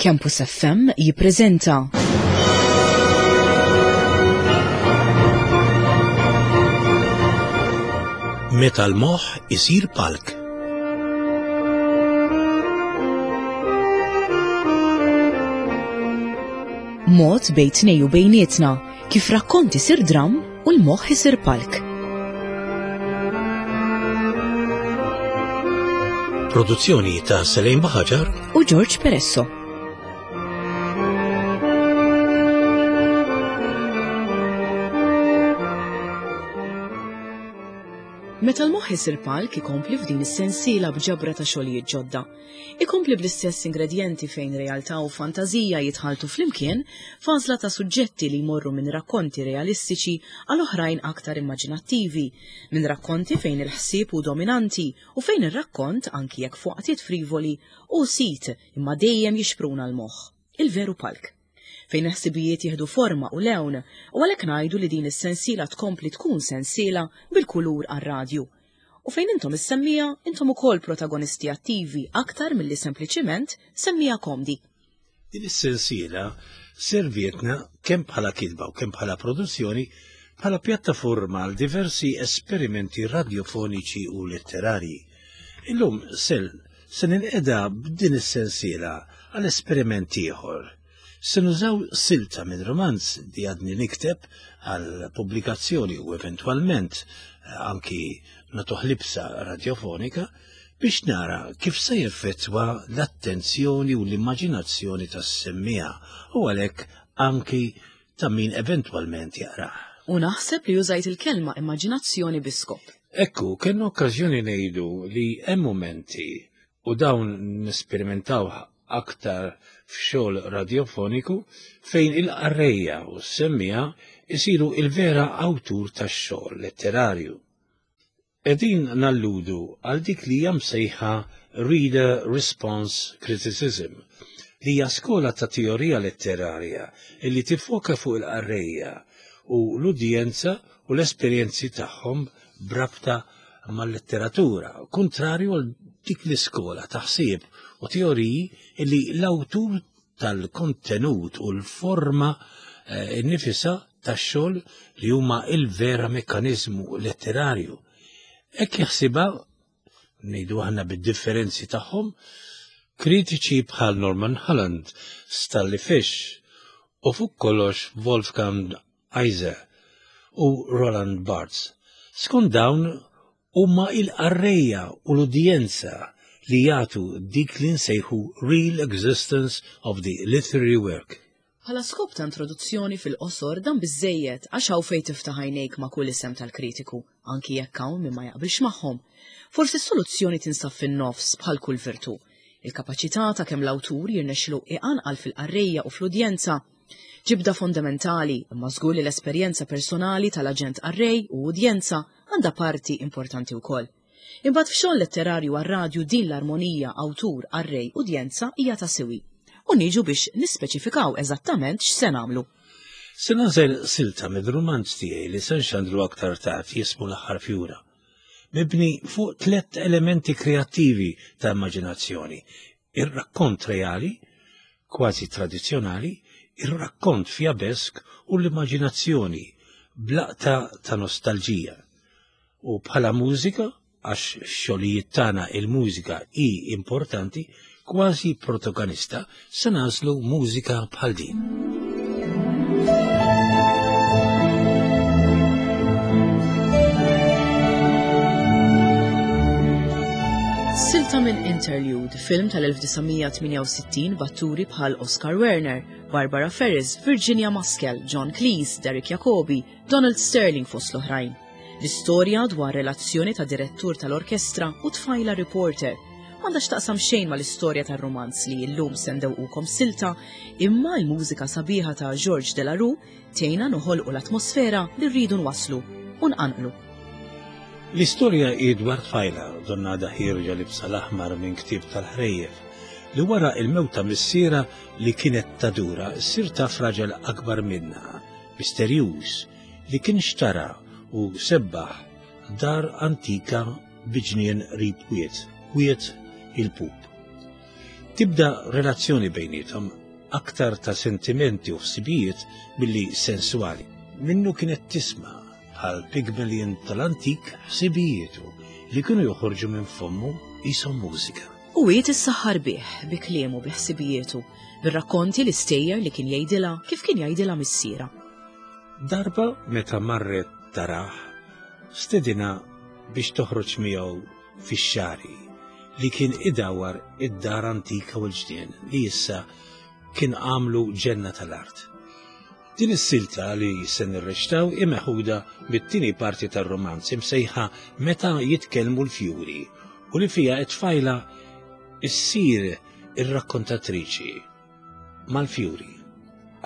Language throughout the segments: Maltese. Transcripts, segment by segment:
Campus FM jippreżenta Meta l-moħħ isir palk. Mod bejn tnej u bejnietna kif rakkont isir dramm u l-moħħ isir palk. Produzzjoni ta' Selejn Baħaġar u George Peresso. Meta l-moħħ isir palk ikompli f'din is-sensiela b'ġabra ta' xogħlijiet ġodda. Ikompli bl-istess ingredjenti fejn realtà u fantażija jitħalltu flimkien f'għażla ta' suġġetti li jmorru minn rakkonti realistiċi għal oħrajn aktar immaġinattivi, minn rakkonti fejn il-ħsieb hu dominanti u fejn ir-rakkont, anki jekk f'waqtiet frivoli, hu sit imma dejjem jixpruna l-moħħ. Il-veru palk. Fejn il-ħsibijiet jieħdu forma u lewn u għalhekk ngħidu li din is-sensiela tkompli tkun sensiela bil-kulur għar-radju. U fejn intom is-semmiegħa, intom ukoll protagonisti attivi aktar milli sempliċiment semmiegħa komdi. Din is-sensiela servietna kemm bħala kitba u kemm bħala produzzjoni bħala pjattaforma għal diversi esperimenti radjofoniċi u letterarji. Illum sel se ninqeda b'din is-sensiela għal esperiment ieħor. Se nużaw silta minn romanz li għadni nikteb għal pubblikazzjoni u eventwalment eh, anki nagħtuh libsa radjofonika biex nara kif se jeffettwa l-attenzjoni u l-immaġinazzjoni tas-semmiegħa u għalhekk anki ta' min eventwalment jaqrah. U naħseb li użajt il-kelma immaġinazzjoni bi skop. Ekku, kellna okkażjoni ngħidu li hemm mumenti u dawn nesperimentaw aktar f'xogħol radjofoniku fejn il-qarrejja u s-semmiegħa jsiru il-vera awtur tax-xogħol letterarju. Qegħdin nalludu għal dik li hija msejħa Reader Response Criticism, li hija skola ta' teorija letterarja li tiffoka fuq il-qarrejja u l-udjenza u l-esperjenzi tagħhom b'rabta mal-letteratura, kuntrarju għal dik l-iskola ta' ħsieb u teoriji li l-awtur tal-kontenut u l-forma eh, nifisa tax-xogħol li huma il-vera mekkaniżmu letterarju. Hekk jaħsibha ngħidu aħna bid-differenzi tagħhom, kritiċi bħal Norman Holland, Stanley Fish u fuq kollox Wolfgang Eiser u Roland Barthes. Skont dawn huma il-qarrejja u l-udjenza li jagħtu dik li nsejħu real existence of the literary work. Bħala skop ta' introduzzjoni fil-qosor dan biżżejjed għax hawn fejn tiftaħ għajnejk ma' kull isem tal-kritiku, anki jekk hawn min ma jaqbilx magħhom. Forsi s-soluzzjoni tinsab fin-nofs bħal kull virtù. Il-kapaċità ta' kemm l-awtur jirnexxilu iqanqal fil-qarrejja u fl-udjenza Ġibda fondamentali, imma żgur li l-esperjenza personali tal-aġent qarrej u udjenza għandha parti importanti wkoll. Imbagħad f'xogħol letterarju għar-radju din l-armonija awtur, qarrej, udjenza hija ta' siwi. U niġu biex nispeċifikaw eżattament x'se nagħmlu. Se nagħżel silta mid-rumanz tiegħi li se nxandru aktar tard jismu L-Aħħar Fjura. Mibni fuq tlett elementi kreattivi ta' immaġinazzjoni, ir-rakkont reali, kważi tradizzjonali, ir-rakkont fjabesk u l-immaġinazzjoni b'laqta ta' nostalġija. U bħala mużika, għax f'xogħlijiet tagħna il-mużika hi importanti, kważi protagonista, se nagħżlu mużika bħal din. Silta minn Interlude, film tal-1968 b'atturi bħal Oscar Werner, Barbara Ferris, Virginia Maskell, John Cleese, Derek Jacobi, Donald Sterling fost l-oħrajn. L-istorja dwar relazzjoni ta' direttur tal-orkestra u tfajla reporter. M'għandha x'taqsam xejn mal-istorja tar-rumanz li llum se ndewqukom silta, imma l-mużika sabiħa ta' Georges Delarue tgħinna noħolqu l-atmosfera li rridu nwasslu u nqanqlu. L-istorja hi dwar tfajla, donnha għadha ħierġa libsa l-aħmar minn ktieb tal-ħrejjef, li wara l-mewt ta' missierha li kienet tadura ssir taf raġel akbar minnha, misterjuż, li kien xtara u sebbaħ dar antika bi ġnien qrib wied, Wied il-Pup. Tibda relazzjoni bejniethom aktar ta' sentimenti u ħsibijiet milli sensuali. Minnu kienet tisma' bħal Pygmalion tal-antik ħsibijietu li kienu joħorġu minn fommu qishom mużika. U hi tissaħħar bih, bi kliemu, bi ħsibijietu, bir-rakkonti l-istejjer li kien jgħidilha kif kien jgħidilha missierha. Darba meta marret tarah, stedinha biex toħroġ miegħu fix-xagħri li kien idawwar id-dar antika u l-ġnien li issa kien għamlu ġenna tal-art. Din is-silta li se nirreċtaw hi meħuda mit-tieni parti tar-rumanz imsejħa Meta jitkellmu l-fjuri u li fiha t-tfajla ssir ir-rakkontatriċi mal-fjuri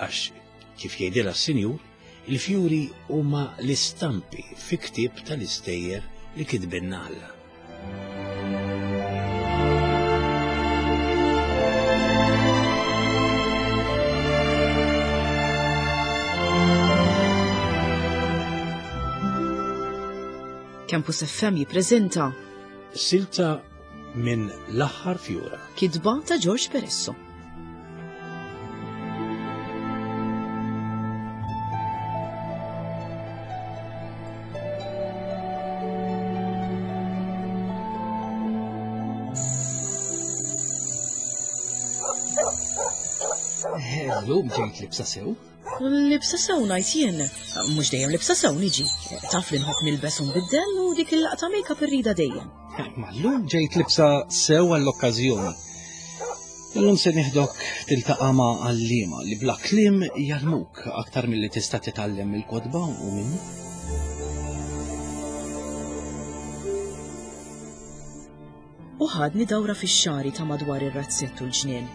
għax kif jgħidilha s-sinjur, il-fjuri huma l-istampi fi ktieb tal-istejjer li kitbilna Alla. Campus FM jippreżenta Silta minn L-aħħar fjura. Kitba ta' George Peresso. Illum ġejt libsa sew. Libsa sew ngħid jien. Mhux dejjem libsa sew niġi. Taf li nħobb nilbes u nbiddel u dik il-laqta make-up irrida dejjem. Ma llum ġejt libsa sew għall-okkażjoni. Illum se nieħdok tiltaqa' ma' għalliema li bla kliem jgħallmuk aktar milli tista' titgħallem mill-kotba u minni. U ħadni dawra fix-xagħri ta' madwar ir-razzett u l-ġnien,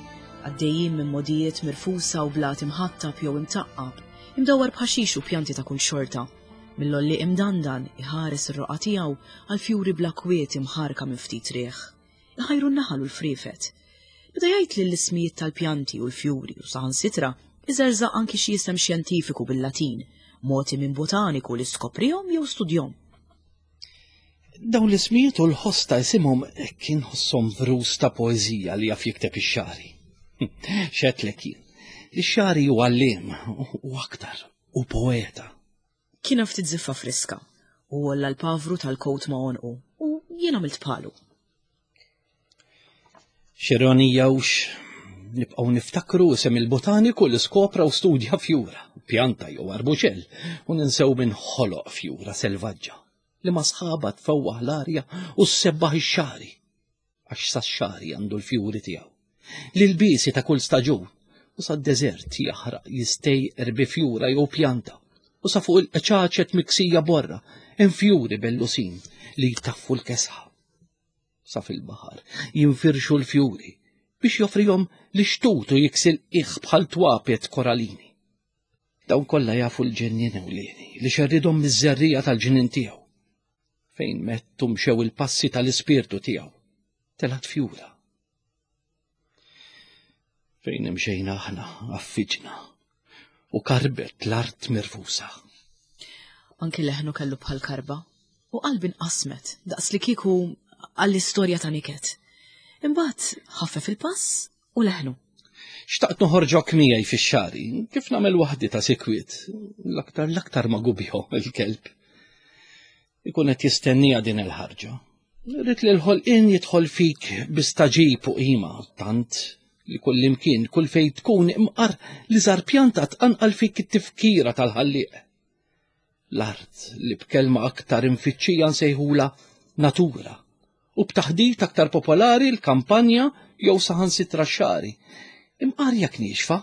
għaddejjin minn mogħdijiet mirfusa u blat imħattab jew imtaqqab, imdawwar b'ħaxix u pjanti ta' kull xorta. Mill-għollieq imdandan, iħares ir-roqgħa tiegħu għal fjuri bla kwiet imħarrka minn ftit riħ. Iħajru n-naħal u l-friefet. Beda jgħidli l-ismijiet tal-pjanti u l-fjuri u saħansitra iżerżaq anki xi isem xjentifiku bil-Latin, mogħti minn botaniku li skoprihom jew studjhom. Dawn l-ismijiet u l-ħoss ta' isimhom kien ħosshom vrus ta' poeżija li jaf jikteb ix-xagħri. X'għedtlek jien? Li x-xagħri hu għalliem u aktar, u poeta. Kien hemm ftit żiffa friska u għolla l-pavru tal-kowt ma' għonqu u jien għamilt bħalu. X'ironija hux nibqgħu niftakru isem il-botaniku li skopra u studja fjura, pjanta jew arbuxell, u ninsew min ħoloq fjura selvaġġa li ma' sħabha tfewwaħ l-arja u ssebbaħ ix-xagħri, għax sax-xagħri għandu l-fjuri tiegħu. L-ilbiesi ta' kull staġun u sad-deżert jaħraq jistejqer bi fjura jew pjanta u sa fuq il-qċaċet miksija borra hemm fjuri bellusin li jtaffu l-kesħa. Sa fil-baħar jinfirxu l-fjuri biex joffrihom lix-xtut u jiksi l-qiegħ bħal twapet koralini. Dawn kollha jafu l-ġennien ewlieni li xerridhom miż-żerriegħa tal-ġnien tiegħu. Fejn mett u mxew il-passi tal-ispirtu tiegħu, telgħet fjura. Fejn imxejna aħna affiġna u karbet l-art mirfusa. Anki leħnu kellu bħal karba u qalbi nqasmet daqs li kieku għall-istorja ta' niket. Imbagħad ħaffef il-pass u leħnu. Xtaqt noħorġok miegħi fix-xari, kif nagħmel waħdi ta' sikwiet, l-aktar l-aktar ma' gubjo il-kelb. Ikun qed jistennija din il-ħarġa. Rrid li l-ħolqien jidħol fik bi staġib u qima, tant li kullimkien, kull fejn tkun imqar li żar pjanta tqanqal fik it-tifkira tal-ħallieq. L-art li b'kelma aktar imfittxija nsejħula natura u b'taħdit aktar popolari l-kampanja jew saħansitra x-xagħri. Imqar jekk niexfa,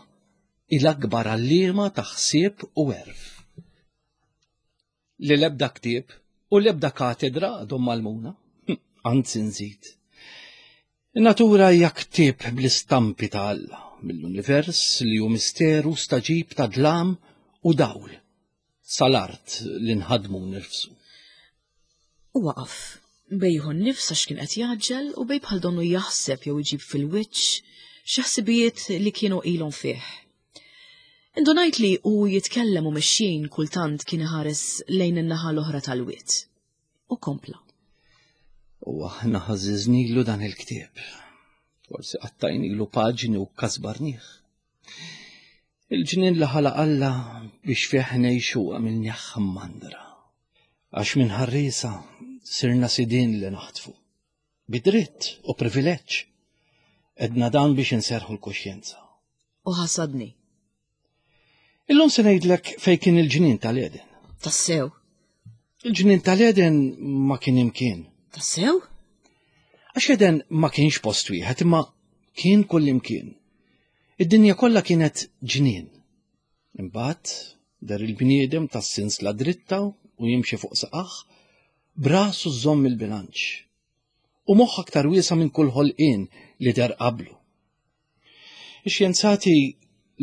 hi l-akbar għalliema ta' ħsieb u għerf. Li l-ebda ktieb u l-ebda katedra għadhom m'għallmuna. Anzi nżid. In-natura hija ktieb bl-istampi ta' Alla, mill-univers li hu misteru staġib ta' dlam u dawl, sal-art li nħaddmu u nirfsu. U waqaf, bej jieħu n-nifs għax kien qed jgħaġġel u bej bħal donnu jaħseb jew iġib fil-wiċċ xi ħsibijiet li kienu ilhom fih. Indunajt li hu jitkellem u mexjin kultant kien iħares lejn in-naħa l-oħra tal-wied. U kompla. U aħna ħażiżnilu dan il-ktieb. Forsi qattajnilu paġni u kasbarnih. Il-ġnien li ħalaq Alla biex fih ngħixu għamilnieh mandra. Għax minn ħarriesa sirna sidien li naħtfu. Bi dritt u privileġġ. Edna dan biex inserħu l-kuxjenza. U ħasadni. Illum se ngħidlek fejn kien il-ġnien tal-Eden. Tassew. Il-ġnien tal-Eden ma kien imkien. Tassew? Għax Eden ma kienx post wieħed imma kien kull imkien. Id-dinja kollha kienet ġnien. Imbagħad der il-bniedem tas-sinsla dritta u jimxi fuq saqah, brasu żomm il-bilanċ. U moħħ aktar wiesa minn kull ħolqien li der qablu. Ix-xjenzati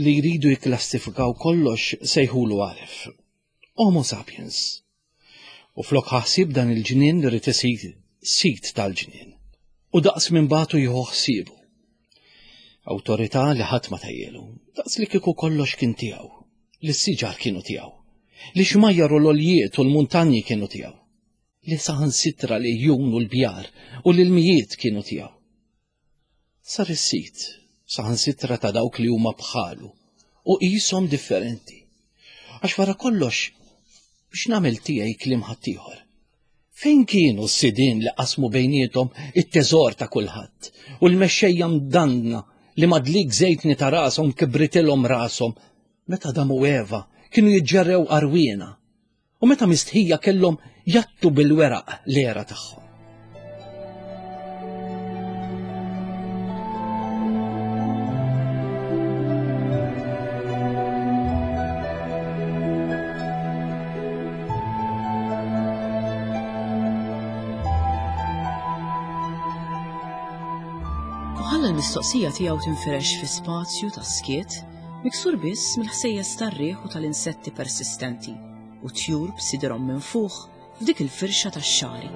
li jridu jikklassifikaw kollox sejħulu għaref. Homo sapiens. U flok ħassib dan il-ġnien li rrid isir sit tal-ġnien. U daqs minn batu jieħu ħsiebu. Awtorità li ħadd ma tajjelu, daqs li kieku kollox kien tiegħu, li s-siġar kienu tiegħu, li xmajjar u l-oljiet u l-muntanji kienu tiegħu, li saħansitra li jun u l-bjar u l-ilmijiet kienu tiegħu. Sar is-sid, saħansitra ta' dawk li huma bħalu u qishom differenti. Għax wara kollox biex nagħmel tiegħi kliem ħaddieħor. Fejn kienu s-sidien li qasmu bejniethom it-teżor ta' kulħadd u l-mexxejja mdanna li madlik żejtni ta' rashom kibritilhom rashom meta Adam u Eva kienu jiġġerrew għarwiena u meta mistħija kellhom jattu bil-weraq l-era tagħhom. U ħalla l-mistoqsija tiegħu tinfirex fi spazju ta' skiet miksur biss mill-ħsejjes tar-riħ u tal-insetti persistenti. u tjur b'sidirhom minfuħ f'dik il-firxa tax-xagħri.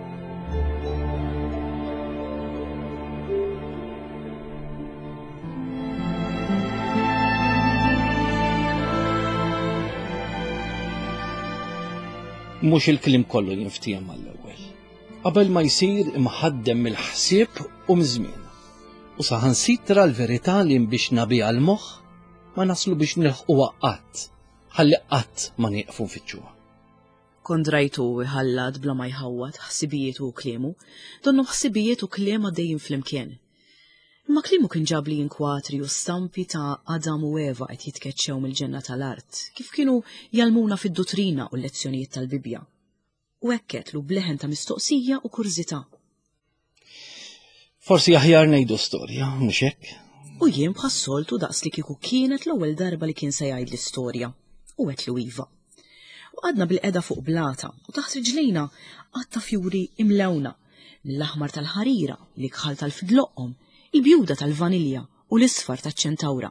Mhux il-kliem kollu jinftiehem mal-ewwel. Qabel ma jsir imħaddem mill-ħsieb u miż-żmien. U saħansitra l-verità li nbixna biha l-moħħ ma naslu biex nilħquha qatt Ħalli qatt ma nieqfu nfittxuha. Kont rajtu iħallat bla ma jħawwad ħsibijietu u kliemu, donnu ħsibijiet u kliem għaddejjin flimkien. Imma kliemu kien ġabli inkwatri u stampi ta' Adam u Eva qed jitkeċċew mill-ġenna tal-art, kif kienu jgħallmuna fid-duttrina u l-lezzjonijiet tal-Bibbja. U hekk għedtlu b'leħen ta' mistoqsija u kurżità. Forsi aħjar ngħidu storja, mhux hekk? U jien bħas-soltu daqs li kieku kienet l-ewwel darba li kien se jgħidli storja. U għedtlu iva. U qgħadna bilqiegħda fuq blata u taħt riġlejna għadd ta' fjuri imlewna, mill-aħmar tal-ħarira, l-ikħal tal-fidloqqom, il-bjuda tal-vanilja u l-isfar taċ-ċentawra,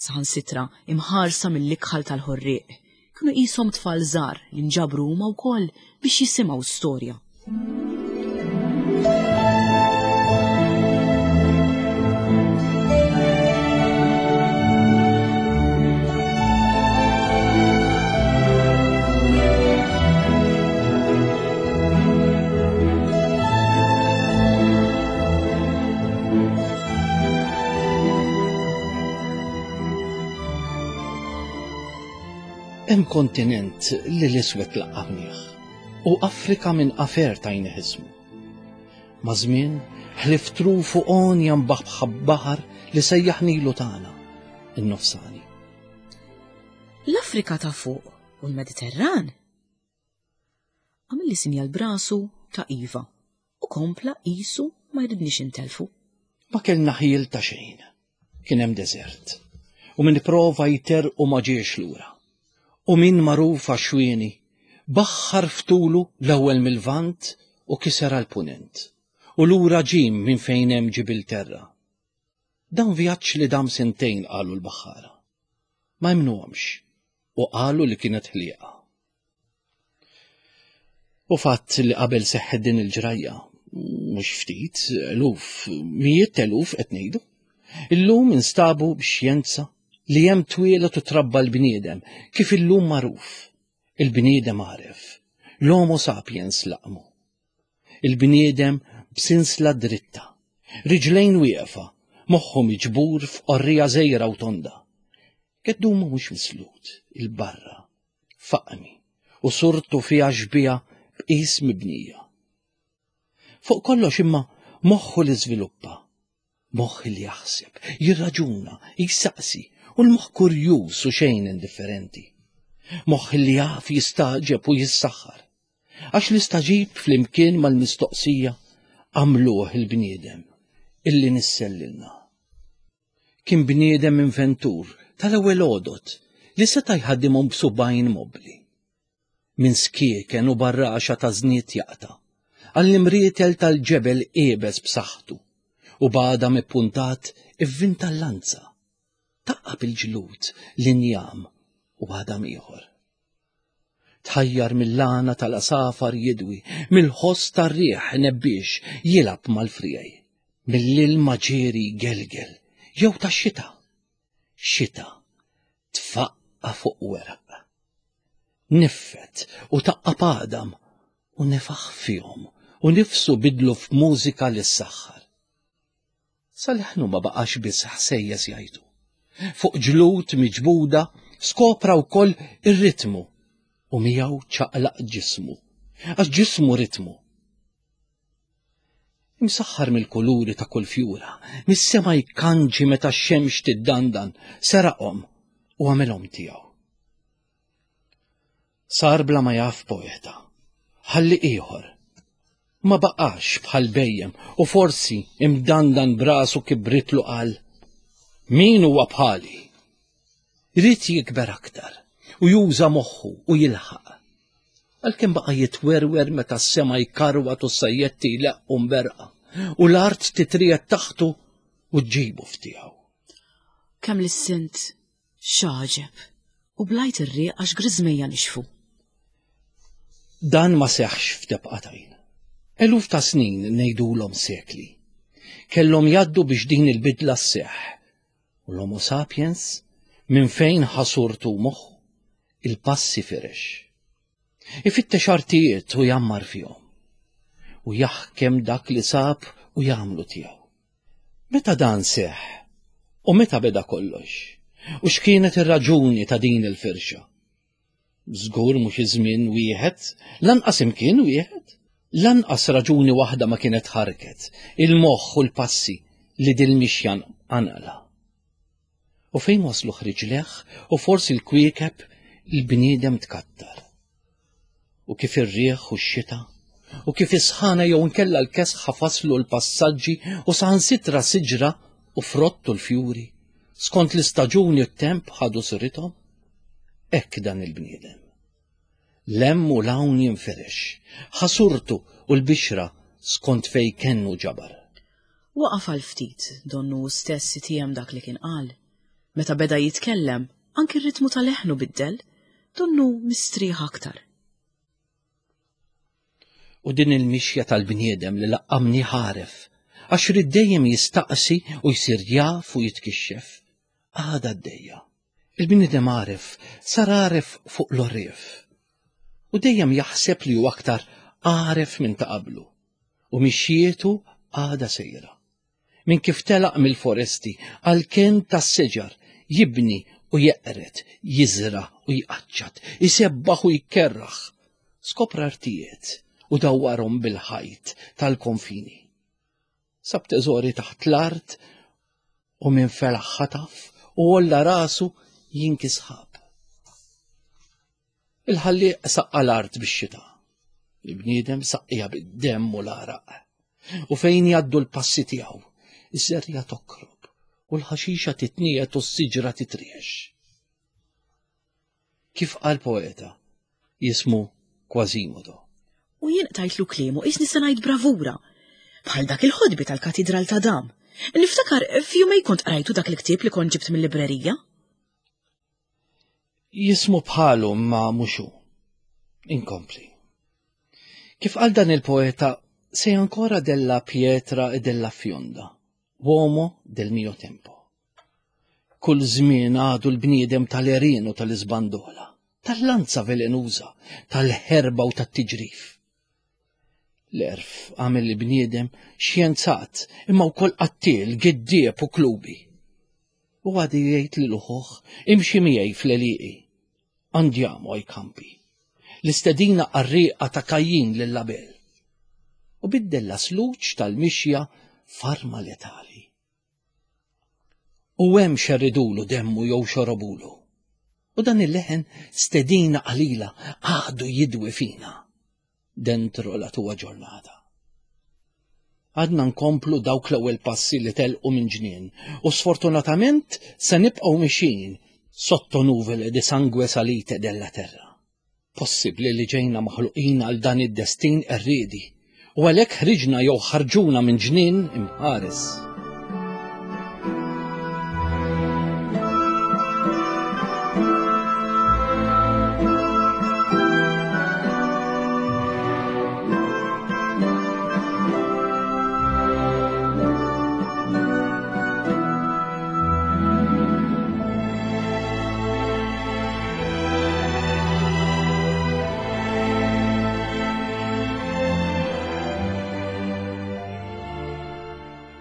saħansitra imħarsa mill-ikħal tal-ħorrieq. Kienu qishom tfal żgħar li nġabru huma wkoll biex jisimgħu storja. Hemm kontinent li l-iswed laqqamnieh u Afrika minn afer tajnih ismu. Ma' żmien ħlief truf u għonja mbaħbħa baħar li sejjaħnilu tagħna, in-nofsani. L-Afrika ta' fuq u l-Mediterran Għamilli sinjal b'rasu ta' iva u kompla qisu ma jridnix intellfu. Ma kellna ħjiel ta' xejn. Kien hemm deżert. U min ipprova jterrqu ma ġiex lura. U min magħruf għax-xwieni, baħħar f'tulu l-ewwel mil-Lvant u kiser għall-Punent. U lura ġie minn fejn hemm Ġibilterra. Dan vjaġġ li dam sentejn qalu l-baħħara. Ma emmnuhomx u qalu li kienet ħlieqa. U fatt li qabel seħħet din il-ġrajja, mhux ftit, eluf, mijiet t'eluf qed ngħidu, illum instabu bix-xjenza li hemm twieled u trabba l-bniedem kif illum magħruf. Il-bniedem għaref, l-Homo sapiens laqmu. Il-bniedem b'sinsla dritta, riġlejn wieqfa, Moħħu miġbur f'qorrija żgħira u tonda. Geddumu mhux mislut il-barra, faqmi u surtu fiha xbieha b'qis mibnija. Fuq kollox imma moħħu li żviluppa, moħħ li jaħseb, jirraġuna, jsaqsi u l-moħħ kurjuż u xejn indifferenti. Moħħ li jaf jistagħġeb u jissaħħar. Għax l-istagħġib flimkien mal-mistoqsija għamluh il-bniedem illi nissellilna. Kien bniedem inventur tal-ewwel għodod li seta' jħaddimhom b'subgħajn mobbli. Minn skieken u barraxa ta' żnied jaqta' għall-imrietel tal-ġebel iebes b'saħħtu u b'għadam ippuntat ivvinta l-lanza, taqqab il-ġlud, l-injam u għadam ieħor. Tħajjar mill-għana tal-għasafar jidwi, mill-ħoss tar-riħ nebbiex jilgħab mal-friegħi, mill-ilma ġieri jgelgel, jew tax-xita. Xita tfaqqa' fuq weraq. Niffet u taqqab għadam u nefaħ fihom u nifsu bidlu f'mużika li ssaħħar. Sa leħnu ma baqax biss ħsejjes jgħajtu. Fuq ġlud miġbuda skopra wkoll ir-ritmu u miegħu ċaqlaq ġismu. Għax ġismu ritmu. Imsaħħar mill-kuluri ta' kull fjura, mis-sema jkanġi meta x-xemx tiddandan, seraqhom u għamilhom tiegħu. Sar bla ma jaf poeta. Ħalli ieħor. Ma baqax bħal bejjem u forsi imdandan brasu kibritlu qal min huwa bħali. Ried jikber aktar u juża moħħu u jilħaq. Għalkemm baqa' jitwerwer meta s-sema jkarwat u s-sajjetti jleqqu mberqa u l-art titriegħed taħtu u ġġibu f'tiegħu. Kemm lissint X'għaġeb! U blajt ir-riq għax griżmejja nixfu. Dan ma seħħx f'tebqa t'għajn. Eluf ta' snin ngħidulhom sekli. Kellhom jgħaddu biex din il-bidla sseħħ. U l-Homo sapiens, minn fejn ħa surtu moħħu, il-passi firex. Ifittex artijiet u jgħammar fihom. U jaħkem dak li sab u jagħmlu tiegħu. Meta dan seħħ? U meta beda kollox? U x'kienet ir-raġuni ta' din il-firxa? Żgur mhux iż-żmien wieħed, lanqas imkien wieħed, lanqas raġuni waħda ma kienet ħarket il-moħħ u l-passi li dil-mixja qanqla. U fejn waslu ħriġleh u forsi l-kwiekeb il-bniedem tkattar. U kif ir-riħ u x-xita, u kif is-sħana jew inkella l-kesħa faslu l-passaġġi u saħansitra siġra u frott u l-fjuri, skont l-istaġuni u t-temp ħadu surithom, hekk dan il-bniedem. L-hemm u l-hawn jinfirex, ħa surtu u l-bixra skont fejn kennu ġabar. Waqaf għal ftit, donnu hu stess itiegħem dak li kien qal. Meta beda jitkellem, anki r-ritmu ta' leħnu biddel, donnu mistrieħ aktar. U din il-mixja tal-bniedem li laqqamni ħaref, għax ried dejjem jistaqsi u jsir jaf u jitkixxef, għadha għaddejja. Il-bniedem għaref sar għaref fuq l-għorrief. U dejjem jaħseb li hu aktar għaref minn ta' qablu. U mixjietu għadha sejra. Minn kif telaq mill-foresti għall-kenn tas-siġar, jibni u jeqred, jiżra' u jqaċċat, isebbaħ u jkerraħ. Skopra artijiet u dawwarhom bil-ħajt tal-konfini. Sab teżori taħt l-art u minn felaħ ħataf u għolla rasu jinki sħab. Il-ħallieq saqqa l-art bix-xita. Il-bniedem saqqija bid-demm u l-għaraq. U fejn jgħaddu l-passi tiegħu, iż-żerriegħa tokrob u l-ħaxixa titniegħed u s-siġra titriex. Kif qal poeta jismu Quasimodo. U jien qtajtlu kliemu qisni se ngħid bravura. Bħal dak il-ħodbi tal-Katidral ta' Dam. Niftakar f'jumej kont qrajtu dak il-ktieb li kont ġibt mill-librerija. Jismu bħalu ma mhux hu. Inkompli. Kif qal dan il-poeta, sei ancora della pietra e della fionda, uomo del mio tempo. Kull żmien għadu l-bniedem tal-għerien u tal-iżbandola, tal-lanza velenuża, tal-ħerba u tat-tiġrif. L-għerf għamel il-bniedem xjenzat imma wkoll qattiel, giddieb u klubi. U għadu jgħid lil ħuh imxi miegħi fl-għelieqi. Andiamo ai campi. L-istedina qarrieqa ta' Kajjin lil Abel. U biddel l-asluġ tal-mixja f'arma letali. U hemm xerridulu demmu jew xorobulu. U dan il-leħen stedina qalila għadu jidwi fina dentro la tua ġurnata. Għadna nkomplu dawk l-ewwel passi li telqu minn ġnien u sfortunatament se nibqgħu mixin sotto nuvole di sangue salite della terra. Possibbli li ġejna maħluqin għal dan id-destin qerriedi u għalhekk ħriġna jew ħarġuna minn ġnien imħares.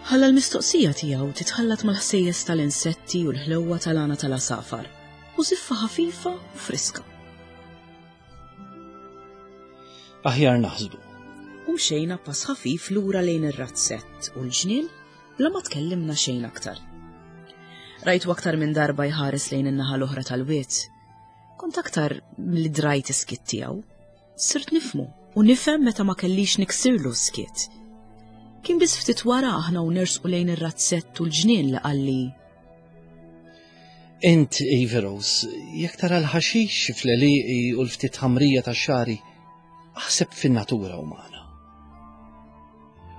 Ħalla l-mistoqsija tiegħu titħallat mal-ħsejjes tal-insetti u l-ħlewwa tal-għana tal-għasafar u żiffa ħafifa u friska. Aħjar naħsbu. U mxejna pass ħafif lura lejn ir-razzett u l-ġnien bla ma tkellimna xejn aktar. Rajtu aktar minn darba jħares lejn in-naħa l-oħra tal-wied. Kont aktar li drajt iskiet tiegħu. Sirt nifmu u nifhem meta ma kellix niksirlu skiet. Kien biss ftit wara aħna u nersqu lejn ir-razzett u l-ġnien li qalli Int, Iveros, jekk tara l-ħaxix fl-għelieqi u l-ftit ħamrija tax-xagħri, aħseb fin-natura umana.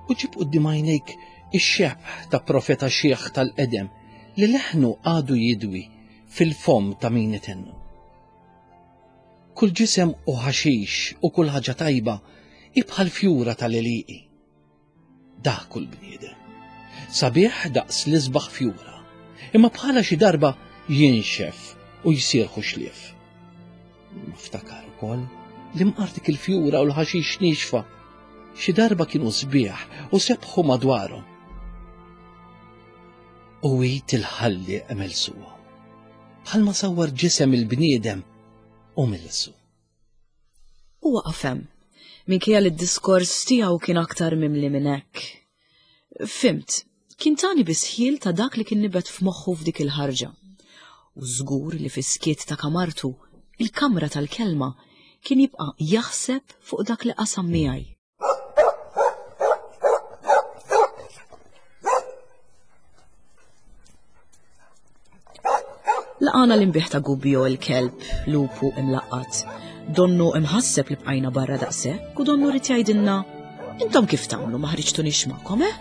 U ġib quddiem għajnejk ix-xebh ta' profeta xiħ tal-qedem li leħnu għadu jidwi fil-fomm ta' min itennu. Kull ġisem u ħaxix u kull ħaġa tajba hi bħal fjura tal-għelieqi. Dak kull bniedem. Sabiħ daqs l-isbaħ fjura, imma bħala xi darba jinxef u jsir ħuxlief. Imma ftakar ukoll li mqar dik il-fjura u l-ħaxix niexfa xi darba kienu sbieħ u sebħu madwarhom. U id il-ħallieq melsuhom. Bħalma sawwar ġisem il-bniedem u milsu. U waqaf hemm, minkejja li d-diskors tiegħu kien aktar mimli minn hekk. Fhimt, kien tani biss ħjiel ta' dak li kien nibet f'moħħu f'dik il-ħarġa. U żgur li fis-skiet ta' kamartu, il-kamra tal-kelma, kien jibqa' jaħseb fuq dak li qasam miegħi. Laqana l-imbiħ ta' Gubbio il-kelb, lupu imlaqqat. Donnu imħasseb li bqajna barra daqshekk u donnu rid jgħidilna intom kif tagħmlu ma ħriġtunix magħkom, eh?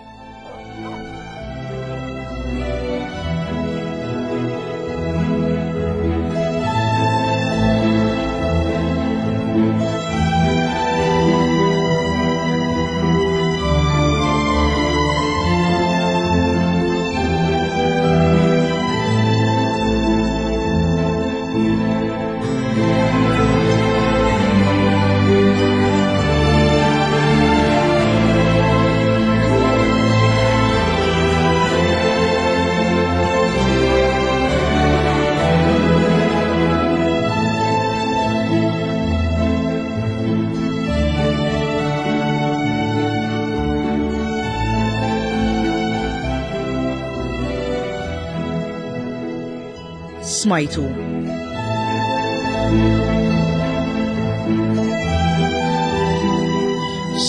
Smajtu.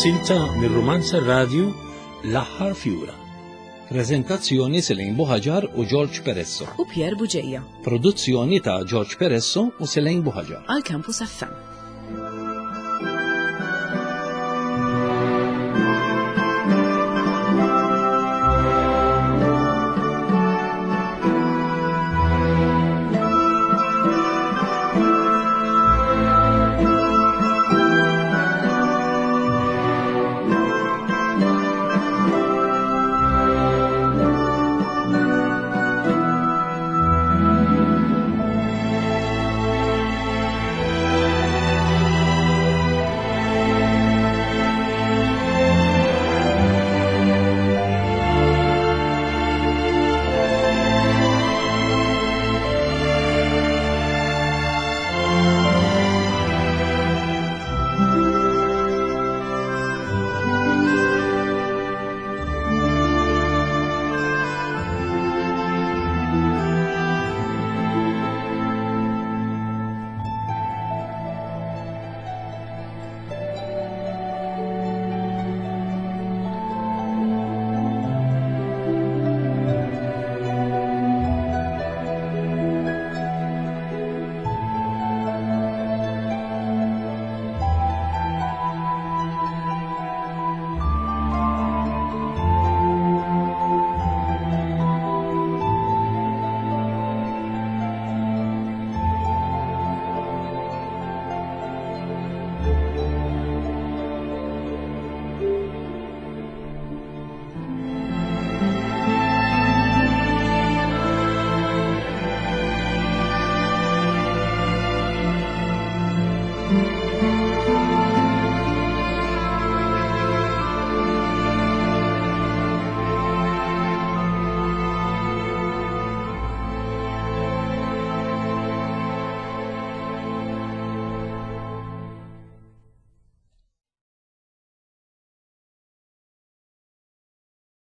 Silta mir-rumanza radju L-aħħar fjura. Prezentazzjoni Selin Buħaġar u George Peresso. U Pier Buġeja. Produzzjoni ta' George Peresso u Selin Buħaġar. Għal Campus FM.